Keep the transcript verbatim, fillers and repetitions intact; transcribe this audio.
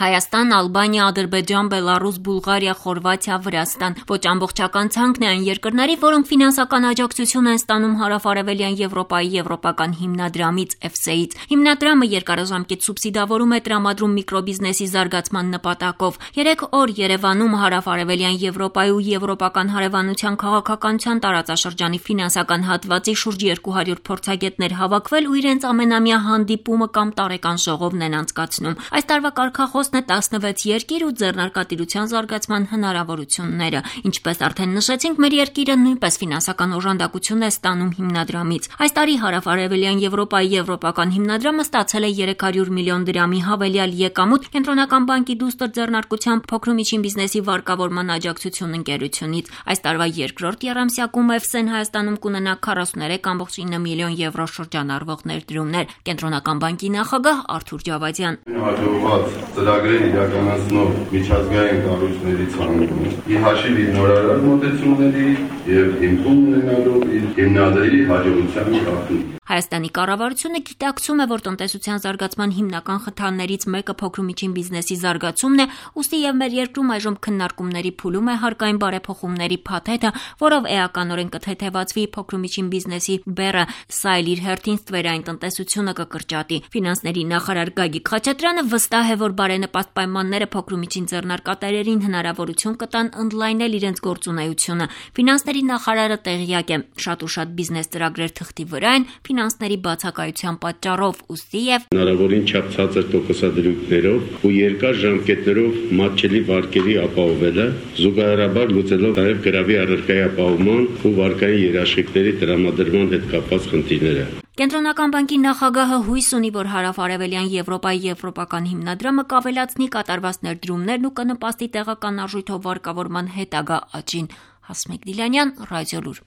Հայաստան, Ալբանիա, Ադրբեջան, Բելառուս, Բուլղարիա, Խորվաթիա, Վրաստան։ Ոչ ամբողջական ցանկն է այն երկրների, որոնք ֆինանսական աջակցություն են ստանում հարավարևելյան Եվրոպայի եվրոպական հիմնադրամից Էֆ Ս E-ից։ Հիմնադրամը երկարաժամկետ սուբսիդավորում է տրամադրում միկրոբիզնեսի զարգացման նպատակով։ Երեք օր Երևանում հարավարևելյան Եվրոպայի ու եվրոպական հարևանության քաղաքականության տարածաշրջանի ֆինանսական հատվածի շուրջ երկու հարյուր փորձագետներ հավաքվել ու իրենց ամենամյա հանդիպումը կամ տարեկան ժողովն են անցկացնում։ Այս տարվա կարգախոսն է տասնվեց երկիր ու ձեռնարկատիրության զարգացման հնարավորությունները։ Ինչպես արդեն նշեցինք, մեր երկիրը նույնպես ֆինանսական օժանդակություն է ստանում հիմնադրամից։ Այս տարի հարավարևելյան Եվրոպայի եվրոպական հիմնադրամը ստացել է երեք հարյուր միլիոն դրամի հավելյալ եկամուտ Կենտրոնական բանկի դուստր ձեռնարկությամբ փոքր ու միջին բիզնեսի վարկավորման աջակցություն ընկերությունից։ Այս տարվա երկրորդ եռամսյակում Էֆ Ս E-ն Հայաստանում կունենա քառասուններեք կόμμα ինը միլիոն եվրո շրջանառվող ներդրումներ։ Կենտրոնական բանկի նախագահ Արթուր Ջավադյան։ Ծրագրեր իրականացնող միջազգային կառույցների ցանկում ի հաշիվ իր նորարար մոտեցումների եւ հիմքում ունենալով իր հիմնադրի հաջողության կարգին։ Հայաստանի կառավարությունը գիտակցում է, որ տնտեսության զարգացման հիմնական խթաններից մեկը փոքր ու միջին բիզնեսի զարգացումն է, ուստի եւ մեր երկրում այժմ քննարկումների փուլում է հարկային բարեփոխումների փաթեթը, որով էականորեն կթեթևացվի փոքր ու միջին բիզնեսի բեռը, սա էլ իր հերթին ստվերային տնտեսությունը կկրճատի։ Ֆինանսների նախարար Գագիկ Խաչատրյանը վստահ է, որ բարենպաստ պայմանները փոքր ու միջին ձեռնարկատերերին հնարավորություն կտան ընդլայնել իրենց գործունեությունը։ Ֆինանսների նախարարը տեղյակ է, շատ ու շատ բիզնես ծրագրեր թղթի վրա են ֆինանսների բացակայության պատճառով, ուստի եւ հնարավորին չափ ցածր տոկոսադրույքներով ու երկար ժամկետներով մատչելի վարկերի ապահովելը, զուգահեռաբար լուծելով նաև գրավի առարկայի ապահովման ու վարկային երաշխիքների տրամադրման հետ կապված խնդիրները։ Կենտրոնական բանկի նախագահը հույս ունի, որ հարավարևելյան Եվրոպայի եվրոպական հիմնադրամը կավելացնի կատարված ներդրումներն ու կնպաստի տեղական արժույթով վարկավորման հետագա աճին։ Հասմիկ Դիլանյան, Ռադիոլուր։